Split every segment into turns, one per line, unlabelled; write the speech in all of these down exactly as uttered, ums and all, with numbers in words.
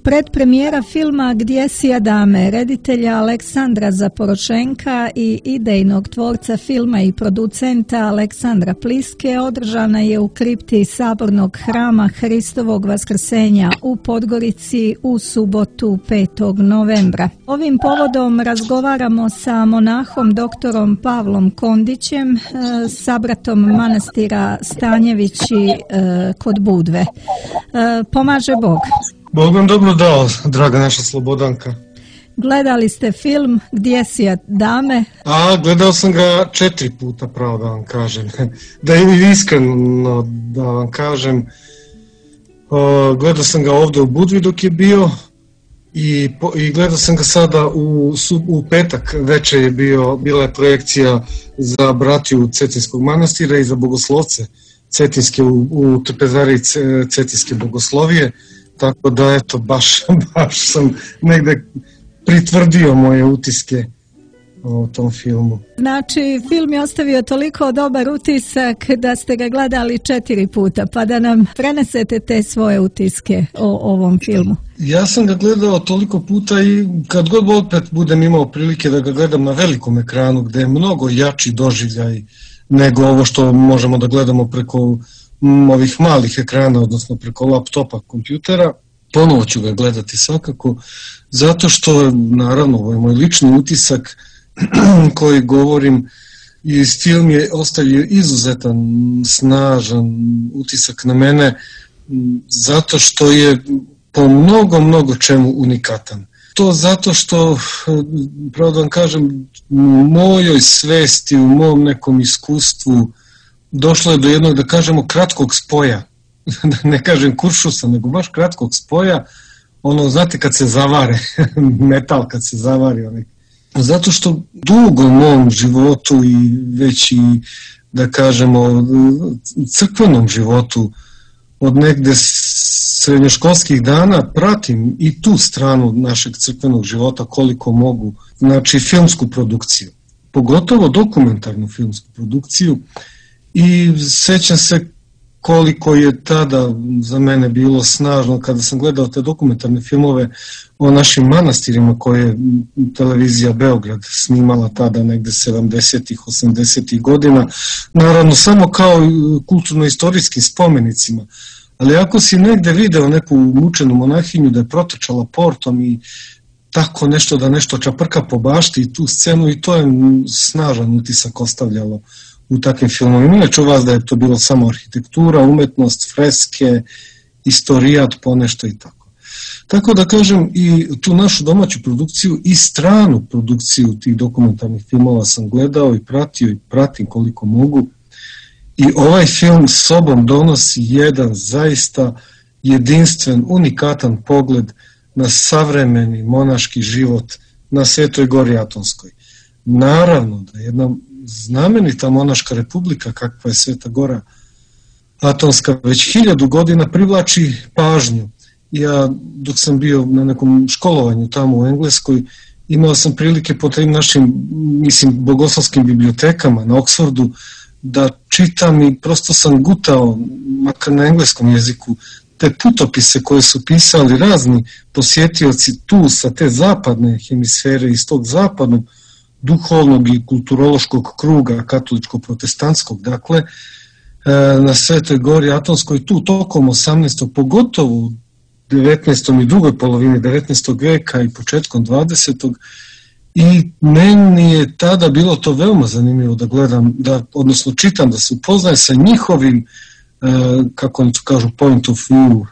Predpremijera filma Gdje si Adame, reditelja Aleksandra Zaporošenka i idejnog tvorca filma i producenta Aleksandra Pliske održana je u kripti Sabornog hrama Hristovog Vaskrsenja u Podgorici u subotu petog novembra. Ovim povodom razgovaramo sa monahom doktorom Pavlom Kondićem, sabratom manastira Stanjevići kod Budve. Pomaže Bog.
Bog vam dobro dao, draga naša Slobodanka.
Gledali ste film Gdje si Adame?
A, gledao sam ga četiri puta, pravo da vam kažem. Da je iskreno da vam kažem, o, gledao sam ga ovdje u Budvi dok je bio i, po, i gledao sam ga sada u, u petak večer je bio, bila je projekcija za bratiju Cetinskog manastira i za bogoslovce Cetinske u, u Trpezariji Cetinske bogoslovije. Tako da, eto, baš, baš sam negde pritvrdio moje utiske o tom filmu.
Znači, film je ostavio toliko dobar utisak da ste ga gledali četiri puta, pa da nam prenesete te svoje utiske o ovom filmu.
Ja sam ga gledao toliko puta i kad god opet budem imao prilike da ga gledam na velikom ekranu, gde je mnogo jači doživljaj nego ovo što možemo da gledamo preko ovih malih ekrana, odnosno preko laptopa, kompjutera, ponovo ću ga gledati svakako, zato što, naravno, ovo je moj lični utisak koji govorim, i film je ostavio izuzetan, snažan utisak na mene, zato što je po mnogo, mnogo čemu unikatan. To zato što, pravo da vam kažem, u mojoj svesti, u mom nekom iskustvu, došlo je do jednog, da kažemo, kratkog spoja, da ne kažem kuršusa, nego baš kratkog spoja, ono, znate, kad se zavare, metal kad se zavari, onaj. Zato što dugo u mom životu i već i, da kažemo, crkvenom životu, od negde srednjoškolskih dana pratim i tu stranu našeg crkvenog života koliko mogu, znači filmsku produkciju, pogotovo dokumentarnu filmsku produkciju. I sećam se koliko je tada za mene bilo snažno kada sam gledao te dokumentarne filmove o našim manastirima koje je televizija Beograd snimala tada negde sedamdesetih, osamdesetih godina, naravno samo kao kulturno-istorijskim spomenicima. Ali ako si negde video neku mučenu monahinju da je protrčala portom i tako nešto, da nešto čaprka po bašti i tu scenu, i to je snažan utisak ostavljalo u takvim filmovima. Inače u vas da je to bilo samo arhitektura, umetnost, freske, istorijat, ponešto i tako. Tako da kažem, i tu našu domaću produkciju i stranu produkciju tih dokumentarnih filmova sam gledao i pratio i pratim koliko mogu. I ovaj film sobom donosi jedan zaista jedinstven, unikatan pogled na savremeni monaški život na Svetoj Gori Atonskoj. Naravno da jedna znamenita monaška republika kakva je Sveta Gora Atonska već hiljadu godina privlači pažnju. Ja dok sam bio na nekom školovanju tamo u Engleskoj imao sam prilike po tim našim, mislim, bogoslovskim bibliotekama na Oxfordu da čitam i prosto sam gutao, makar na engleskom jeziku, te putopise koje su pisali razni posjetioci tu sa te zapadne hemisfere, iz tog zapadnog duhovnog i kulturološkog kruga katoličko-protestantskog, dakle, na Svetoj Gori Atonskoj tu tokom osamnaestog pogotovo u devetnaestom i drugoj polovini devetnaestog veka i početkom dvadesetog I meni je tada bilo to veoma zanimljivo da gledam, da, odnosno čitam, da se upoznaje sa njihovim, kako oni to kažu, point of view,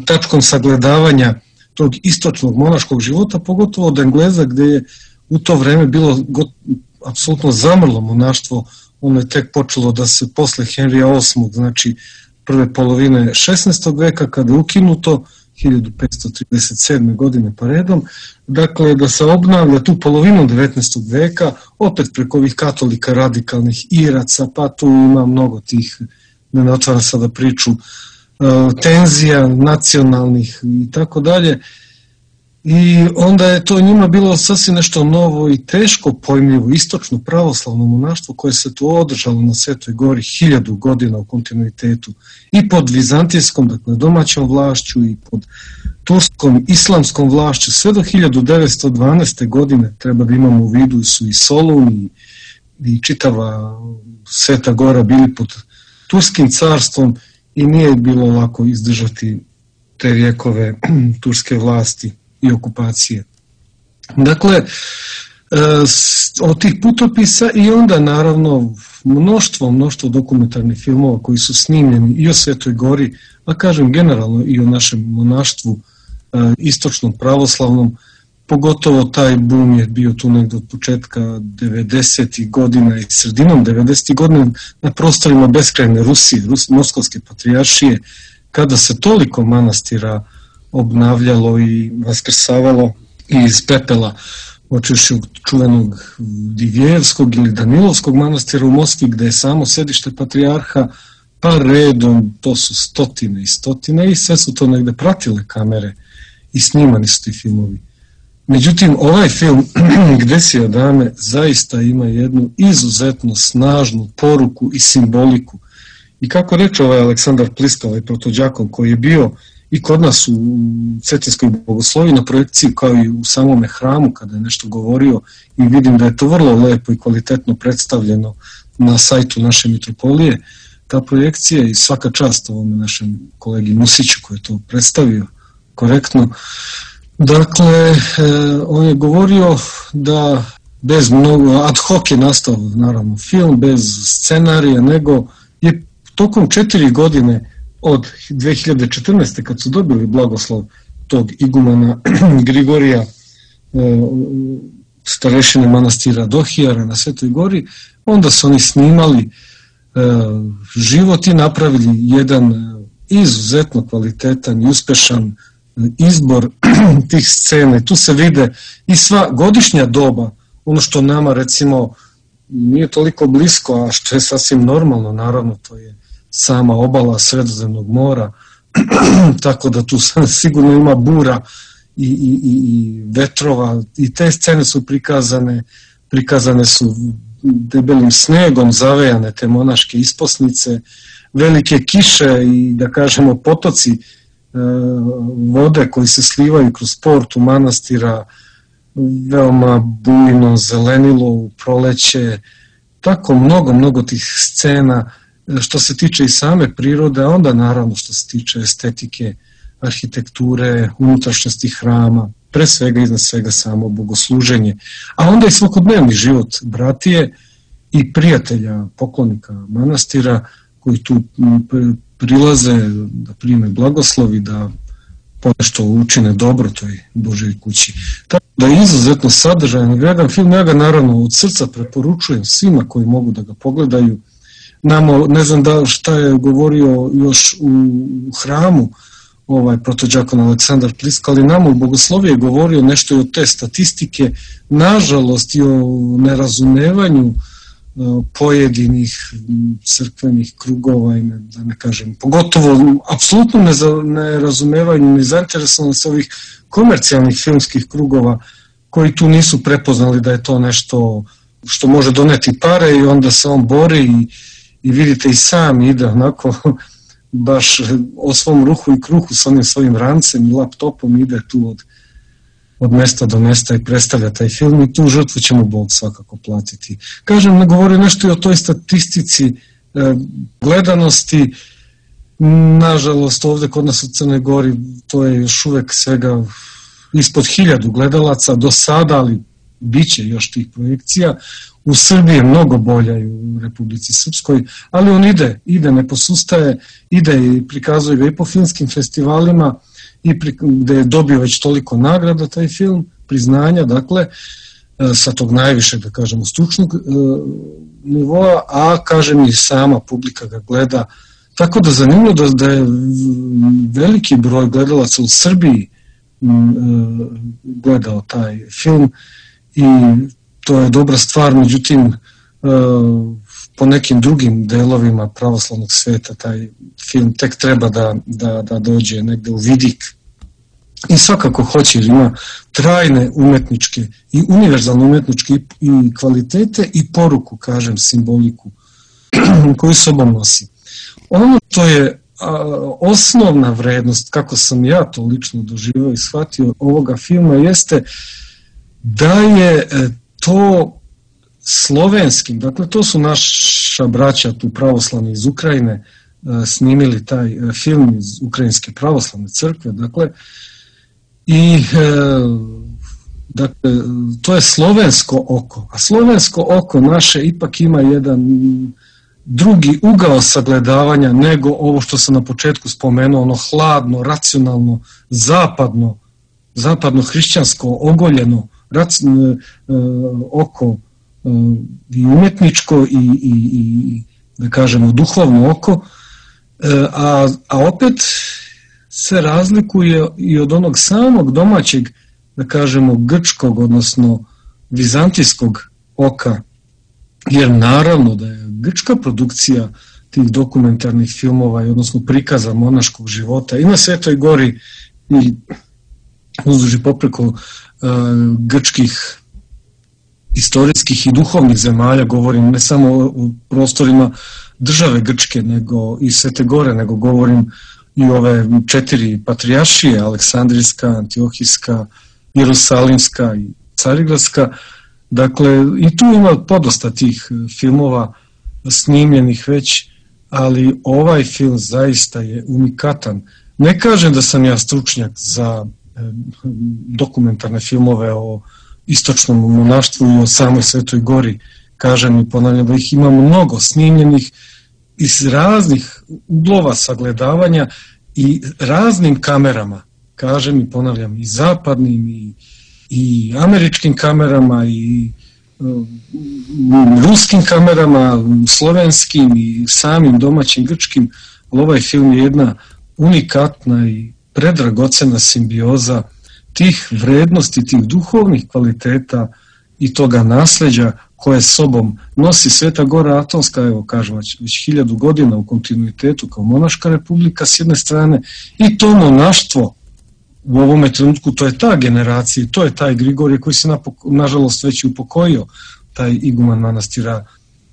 tačkom sagledavanja tog istočnog monaškog života, pogotovo od Engleza, gde je u to vreme bilo got, apsolutno zamrlo monaštvo. Ono je tek počelo da se posle Henrija osmog, znači prve polovine šesnaestog veka, kada je ukinuto, hiljadu petsto trideset sedme. godine pa redom, dakle da se obnavlja tu polovinu devetnaestog veka, opet preko ovih katolika radikalnih Iraca, pa tu ima mnogo tih, ne otvara sada priču, tenzija nacionalnih i tako dalje. I onda je to njima bilo sasvim nešto novo i teško pojmljivo, istočno pravoslavno monaštvo koje se tu održalo na Svetoj Gori hiljadu godina u kontinuitetu i pod vizantijskom, dakle domaćom vlašću i pod turskom islamskom vlašću sve do hiljadu devetsto dvanaeste. godine, treba da imamo u vidu, su i Solun i, i čitava Sveta Gora bili pod turskim carstvom i nije bilo lako izdržati te vjekove turske vlasti i okupacije. Dakle, od tih putopisa i onda naravno mnoštvo, mnoštvo dokumentarnih filmova koji su snimljeni i o Svetoj Gori, a kažem generalno i o našem monaštvu istočnom pravoslavnom, pogotovo taj boom je bio tu negdje od početka devedesetih godina i sredinom devedesetih godina na prostorima beskrajne Rusije, Rus, Moskovske patrijaršije, kada se toliko manastira obnavljalo i vaskrsavalo iz pepela, počevši od čuvenog Divjevskog ili Danilovskog manastira u Moskvi, gde je samo sedište patrijarha, pa redom, to su stotine i stotine i sve su to negde pratile kamere i snimani su ti filmovi. Međutim, ovaj film Gdje dame zaista ima jednu izuzetno snažnu poruku i simboliku. I kako reče ovaj Aleksandar Pliska, ovaj protođakon koji je bio i kod nas u Cetinskoj bogoslovi na projekciji kao i u samome hramu kada je nešto govorio i vidim da je to vrlo lepo i kvalitetno predstavljeno na sajtu naše mitropolije, ta projekcija i svaka čast ovome našem kolegi Musiću koji je to predstavio korektno. Dakle, on je govorio da bez mnogo, ad hoc je nastao naravno film, bez scenarija, nego je tokom četiri godine od dve hiljade četrnaeste. kad su dobili blagoslov tog igumana Grigorija, starešine manastira Dohijara na Svetoj Gori, onda su oni snimali život i napravili jedan izuzetno kvalitetan i uspešan izbor tih scena. Tu se vide i sva godišnja doba, ono što nama recimo nije toliko blisko, a što je sasvim normalno, naravno to je sama obala Sredozemnog mora, tako da tu sigurno ima bura i, i, i vetrova i te scene su prikazane, prikazane su debelim snegom zavejane te monaške isposnice, velike kiše i da kažemo potoci e, vode koji se slivaju kroz portu manastira, veoma bujno zelenilo u proleće, tako mnogo, mnogo tih scena što se tiče i same prirode, a onda naravno što se tiče estetike, arhitekture, unutrašnjosti hrama, pre svega iznad svega samo bogosluženje, a onda i svakodnevni život bratije i prijatelja, poklonika manastira koji tu prilaze da prime blagoslovi, da ponešto učine dobro toj Božoj kući. Tako da je izuzetno sadržajan, vredan film, ja ga naravno od srca preporučujem svima koji mogu da ga pogledaju. Namo, ne znam da šta je govorio još u hramu ovaj protođakon Aleksandar Pliska, ali nama u bogosloviji je govorio nešto i o te statistike, nažalost i o nerazumevanju pojedinih crkvenih krugova i ne, da ne kažem, pogotovo apsolutno nerazumevanju, nezainteresovanost ovih komercijalnih filmskih krugova koji tu nisu prepoznali da je to nešto što može doneti pare i onda se on bori i, i vidite i sam ide onako baš o svom ruhu i kruhu s onim svojim rancem i laptopom ide tu od, od mesta do mesta i predstavlja taj film i tu žrtvu će mu Bog svakako platiti. Kažem, ne govori nešto i o toj statistici e, gledanosti, nažalost ovdje kod nas u Crnoj Gori to je još uvek svega ispod hiljadu gledalaca do sada, ali bit će još tih projekcija. U Srbiji je mnogo bolja i u Republici Srpskoj, ali on ide, ide, ne posustaje, ide i prikazuje ga i po filmskim festivalima i pri, gde je dobio već toliko nagrada taj film, priznanja, dakle, sa tog najvišeg, da kažemo, stručnog e, nivoa, a kažem i sama publika ga gleda. Tako da zanimljivo da, da je veliki broj gledalaca u Srbiji m, e, gledao taj film i to je dobra stvar, međutim e, po nekim drugim delovima pravoslavnog sveta taj film tek treba da, da, da dođe negde u vidik. i svakako hoće, jer ima trajne umetničke i univerzalne umetničke i kvalitete i poruku, kažem, simboliku koju sobom nosi. Ono što je a, osnovna vrednost, kako sam ja to lično doživio i shvatio ovoga filma, jeste da je to slovenskim, dakle to su naša braća tu pravoslavni iz Ukrajine snimili taj film iz Ukrajinske pravoslavne crkve, dakle, i dakle, to je slovensko oko, a slovensko oko naše ipak ima jedan drugi ugao sagledavanja nego ovo što sam na početku spomenuo, ono hladno, racionalno, zapadno, zapadno hrišćansko, ogoljeno raci, oko i umjetničko i, i, i da kažemo duhovno oko, a, a opet se razlikuje i od onog samog domaćeg, da kažemo, grčkog, odnosno vizantijskog oka, jer naravno da je grčka produkcija tih dokumentarnih filmova, odnosno prikaza monaškog života i na Svetoj gori i uzduž i popreko uh, grčkih istorijskih i duhovnih zemalja, govorim ne samo o prostorima države Grčke, nego i Svete gore, nego govorim i ove četiri patrijaršije, Aleksandrijska, Antiohijska, Jerusalimska i Carigradska. Dakle, i tu ima podosta tih filmova snimljenih već, ali ovaj film zaista je unikatan. Ne kažem da sam ja stručnjak za dokumentarne filmove o istočnom monaštvu i o samoj Svetoj gori, kažem i ponavljam da ih ima mnogo snimljenih iz raznih uglova sagledavanja i raznim kamerama, kažem i ponavljam, i zapadnim i, i američkim kamerama i um, ruskim kamerama, slovenskim i samim domaćim grčkim, ali ovaj film je jedna unikatna i predragocena simbioza tih vrednosti, tih duhovnih kvaliteta i toga nasleđa koje sobom nosi Sveta gora Atonska, evo kažem, već, već hiljadu godina u kontinuitetu kao monaška republika s jedne strane, i to monaštvo u ovome trenutku, to je ta generacija, to je taj Grigorije koji se napok- nažalost već i upokojio, taj iguman manastira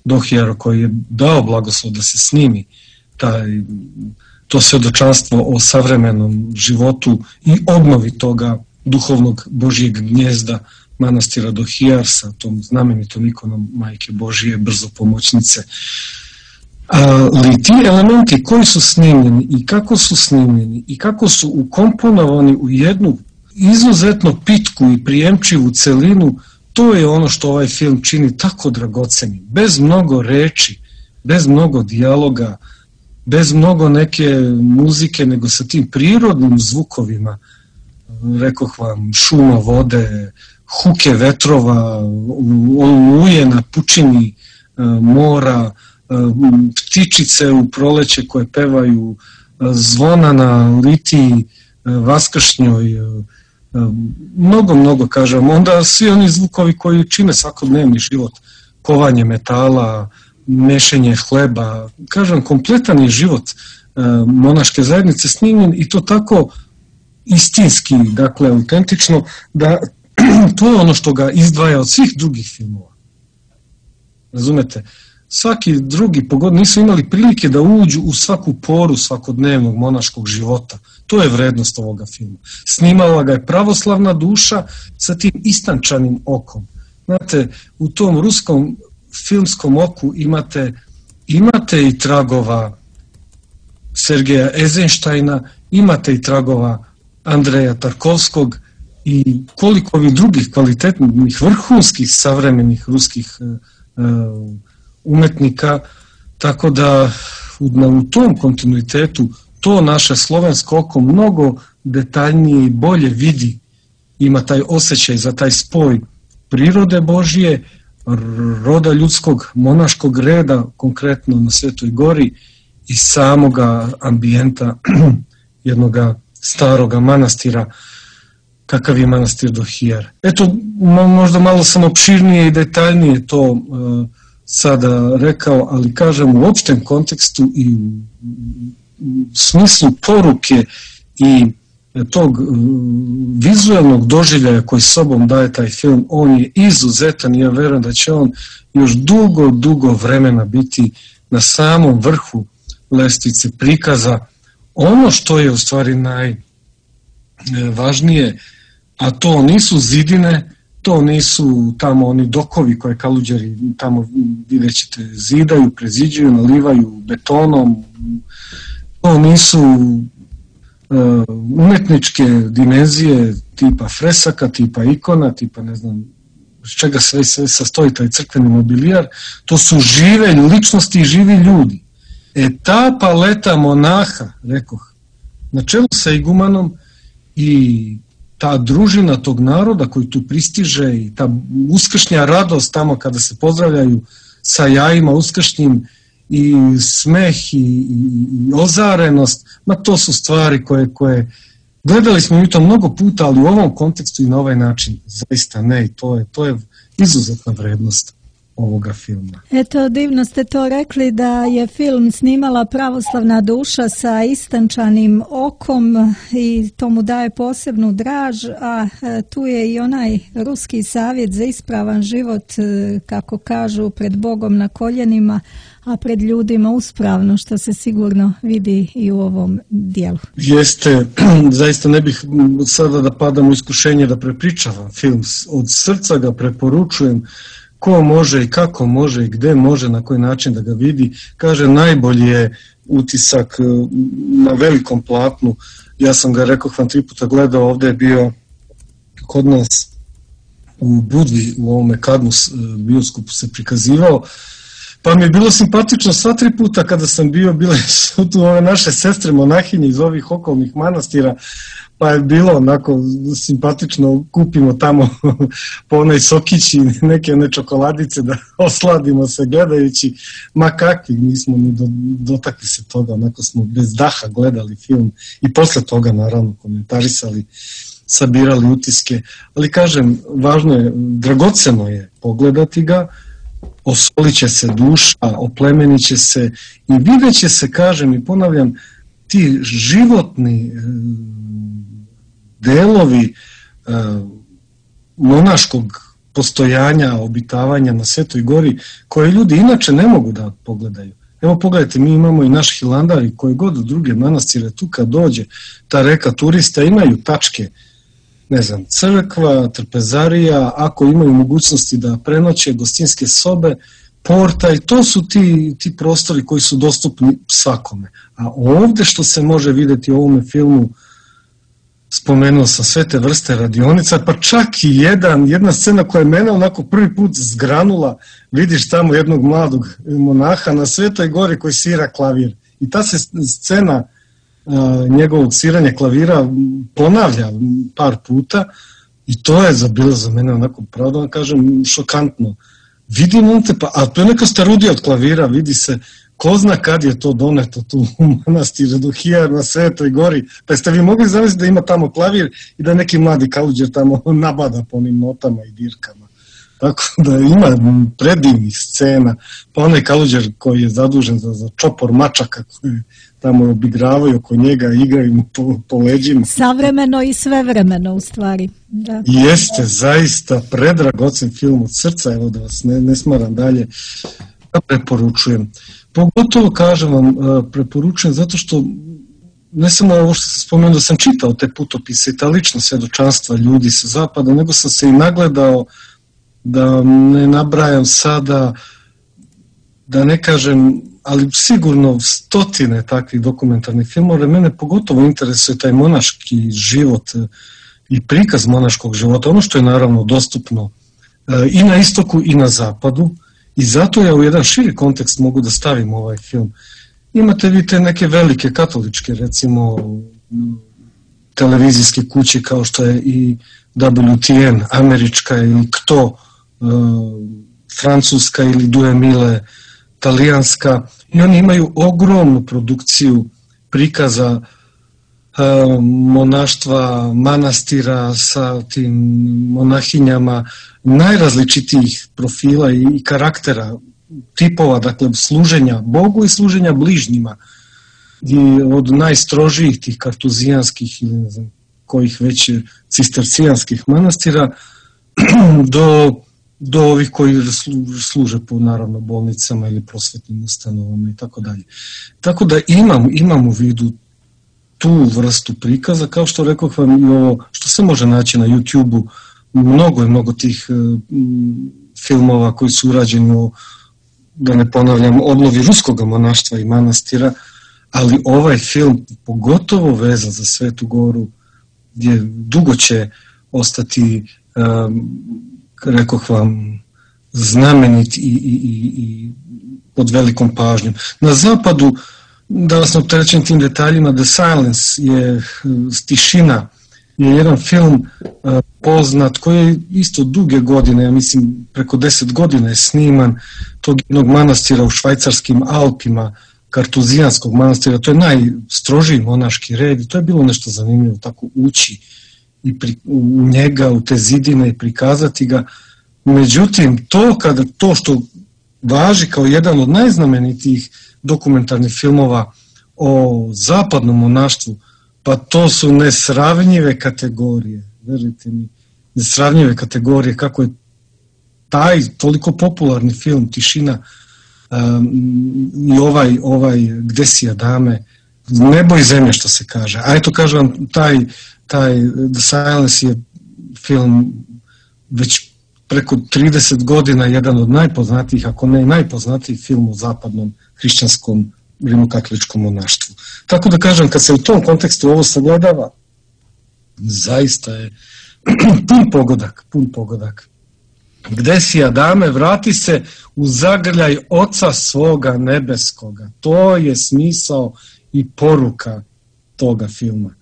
Dohijaro koji je dao blagoslov da se snimi taj, to svedočanstvo o savremenom životu i obnovi toga duhovnog Božjeg gnjezda manastira Dohijar sa tom znamenitom ikonom Majke Božije, brzo pomoćnice. Ali ti elementi koji su snimljeni i kako su snimljeni i kako su ukomponovani u jednu izuzetno pitku i prijemčivu celinu, to je ono što ovaj film čini tako dragocenim. Bez mnogo reči, bez mnogo dijaloga, bez mnogo neke muzike, nego sa tim prirodnim zvukovima, rekoh vam, šuma vode, huke vetrova, oluje na pučini mora, ptičice u proleće koje pevaju, zvona na litiji vaskršnjoj, mnogo, mnogo, kažem. Onda svi oni zvukovi koji čine svakodnevni život, kovanje metala, mešenje hleba, kažem, kompletan je život monaške zajednice snimljen i to tako istinski, dakle, autentično, da to je ono što ga izdvaja od svih drugih filmova. Razumete? Svaki drugi pogod nisu imali prilike da uđu u svaku poru svakodnevnog monaškog života. To je vrednost ovoga filma. Snimala ga je pravoslavna duša sa tim istančanim okom. Znate, u tom ruskom filmskom oku imate, imate i tragova Sergeja Eizenštajna, imate i tragova Andreja Tarkovskog i koliko ovih drugih kvalitetnih, vrhunskih, savremenih ruskih uh, umetnika, tako da u, u tom kontinuitetu to naše slovensko oko mnogo detaljnije i bolje vidi, ima taj osjećaj za taj spoj prirode Božije, roda ljudskog, monaškog reda, konkretno na Svetoj gori, i samoga ambijenta jednoga staroga manastira, kakav je manastir Dohijar. Eto, možda malo sam opširnije i detaljnije to uh, sada rekao, ali kažem u opštem kontekstu i u, u smislu poruke i tog vizualnog doživljaja koji sobom daje taj film, on je izuzetan i ja verujem da će on još dugo, dugo vremena biti na samom vrhu lestvice prikaza. Ono što je u stvari najvažnije, a to nisu zidine, to nisu tamo oni dokovi koje kaluđeri tamo vidjet ćete zidaju, preziđuju, nalivaju betonom, to nisu uh, umetničke dimenzije tipa fresaka, tipa ikona, tipa ne znam s čega sve, sve sastoji taj crkveni mobilijar, to su žive ličnosti i živi ljudi. E ta paleta monaha, rekoh, na čelu sa igumanom i ta družina tog naroda koji tu pristiže i ta uskršnja radost tamo kada se pozdravljaju sa jajima uskršnjim i smeh i, i, i ozarenost, ma to su stvari koje, koje gledali smo mi to mnogo puta, ali u ovom kontekstu i na ovaj način zaista ne, i to je, to je izuzetna vrednost ovoga filma.
Eto, divno ste to rekli da je film snimala Pravoslavna duša sa istančanim okom i to mu daje posebnu draž, a tu je i onaj ruski savjet za ispravan život, kako kažu, pred Bogom na koljenima, a pred ljudima uspravno, što se sigurno vidi i u ovom dijelu.
Jeste, zaista ne bih sada da padam u iskušenje da prepričavam film. Od srca ga preporučujem, ko može i kako može i gde može, na koji način da ga vidi. Kaže, najbolji je utisak na velikom platnu. Ja sam ga, rekao vam, tri puta gledao, ovde je bio kod nas u Budvi, u ovome Kadmus bioskopu se prikazivao, pa mi je bilo simpatično sva tri puta kada sam bio, bile su tu ove naše sestre monahinje iz ovih okolnih manastira, pa je bilo onako simpatično, kupimo tamo po onoj sokići neke one čokoladice da osladimo se gledajući, ma kakvi, nismo ni do, dotakli se toga, onako smo bez daha gledali film i posle toga naravno komentarisali, sabirali utiske, ali kažem, važno je, dragoceno je pogledati ga, osolit će se duša, oplemenit će se i vidjet će se, kažem i ponavljam, ti životni delovi monaškog postojanja, obitavanja na Svetoj gori, koje ljudi inače ne mogu da pogledaju. Evo pogledajte, mi imamo i naš Hilandar i koje god druge manastire, tu kad dođe ta reka turista, imaju tačke, ne znam, crkva, trpezarija, ako imaju mogućnosti da prenoće, gostinske sobe, porta, i to su ti, ti prostori koji su dostupni svakome. A ovde što se može videti u ovome filmu, spomenuo sam sve te vrste radionica, pa čak i jedan, jedna scena koja je mene onako prvi put zgranula, vidiš tamo jednog mladog monaha na Svetoj gori koji svira klavir. I ta se scena a, njegovog sviranja klavira ponavlja par puta i to je za, bilo za mene onako, pravo da kažem, šokantno. Vidim on te, pa, a to je neka starudija od klavira, vidi se, ko zna kad je to doneto tu u manastiru Duhija na Svetoj gori, pa ste vi mogli zamisliti da ima tamo klavir i da neki mladi kaluđer tamo nabada po onim notama i dirkama. Tako da ima predivnih scena, pa onaj kaluđer koji je zadužen za, za čopor mačaka koji tamo obigravaju oko njega, igraju mu po, po leđima.
Savremeno i svevremeno u stvari. Da.
Jeste, zaista predragocen film od srca, evo da vas ne, ne smaram dalje, da preporučujem. Pogotovo, kažem vam, preporučujem zato što ne samo ovo što sam spomenuo da sam čitao te putopise i ta lična svedočanstva ljudi sa zapada, nego sam se i nagledao, da ne nabrajam sada, da ne kažem, ali sigurno stotine takvih dokumentarnih filmova. Mene pogotovo interesuje taj monaški život i prikaz monaškog života, ono što je naravno dostupno i na istoku i na zapadu, i zato ja u jedan širi kontekst mogu da stavim ovaj film. Imate vi te neke velike katoličke, recimo, televizijske kuće kao što je i W T N, američka, ili K T O, francuska, ili Due Mile, talijanska, i oni imaju ogromnu produkciju prikaza monaštva, manastira sa tim monahinjama, najrazličitijih profila i karaktera, tipova, dakle, služenja Bogu i služenja bližnjima. I od najstrožijih tih kartuzijanskih ili ne znam, kojih već cistercijanskih manastira do, do ovih koji služe po naravno bolnicama ili prosvetnim ustanovama i tako dalje. Tako da imam, imam u vidu tu vrstu prikaza, kao što rekoh vam i ovo što se može naći na YouTube-u, mnogo je mnogo tih mm, filmova koji su urađeni o, da ne ponavljam, odlovi ruskog monaštva i manastira, ali ovaj film pogotovo vezan za Svetu Goru gdje dugo će ostati, um, rekoh vam, znamenit i, i, i, i pod velikom pažnjom. Na zapadu, danas sam opterećen tim detaljima, The Silence je tišina, je jedan film uh, poznat koji je isto duge godine, ja mislim preko deset godina je sniman, tog jednog manastira u švajcarskim Alpima, Kartuzijanskog manastira, to je najstrožiji monaški red i to je bilo nešto zanimljivo, tako ući i pri, u njega, u te zidine i prikazati ga. Međutim, to, kada, to što važi kao jedan od najznamenitijih dokumentarnih filmova o zapadnom monaštvu, pa to su nesravnjive kategorije, verujte mi, nesravnjive kategorije, kako je taj toliko popularni film Tišina um, i ovaj, ovaj Gde si Adame, nebo i zemlje što se kaže. A eto kažem vam, taj, taj The Silence je film već preko trideset godina jedan od najpoznatijih, ako ne najpoznatijih film u zapadnom hrišćanskom rimokatoličkom monaštvu. Tako da kažem, kad se u tom kontekstu ovo sagledava, zaista je pun pogodak, pun pogodak. Gde si Adame, vrati se u zagrljaj Oca svoga nebeskoga. To je smisao i poruka toga filma.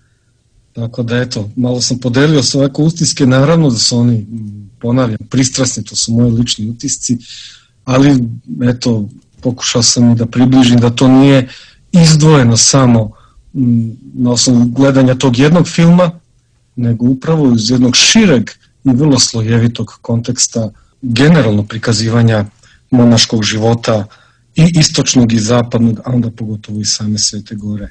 Tako da eto, malo sam podelio sve ovako utiske, naravno da su oni, ponavljam, pristrasni, to su moji lični utisci, ali eto, pokušao sam i da približim da to nije izdvojeno samo na osnovu gledanja tog jednog filma, nego upravo iz jednog šireg i vrlo slojevitog konteksta generalno prikazivanja monaškog života i istočnog i zapadnog, a onda pogotovo i same Svete Gore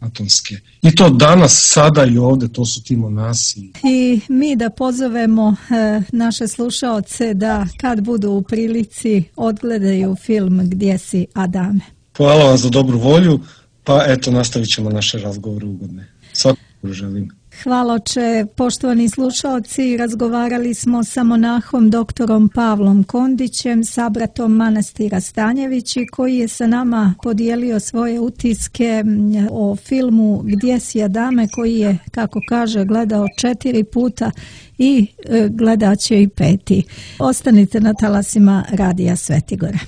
Atonske. I to danas, sada i ovde, to su ti monasi.
I mi da pozovemo e, naše slušaoce da kad budu u prilici odgledaju film Gdje si Adame.
Hvala vam za dobru volju, pa eto nastavit ćemo naše razgovore ugodne. Svakako želim.
Hvala oče, poštovani slušaoci, razgovarali smo sa monahom doktorom Pavlom Kondićem, sabratom manastira Stanjevići, koji je sa nama podijelio svoje utiske o filmu Gdje si Adame, koji je, kako kaže, gledao četiri puta i gledat će i peti. Ostanite na talasima Radija Svetigora.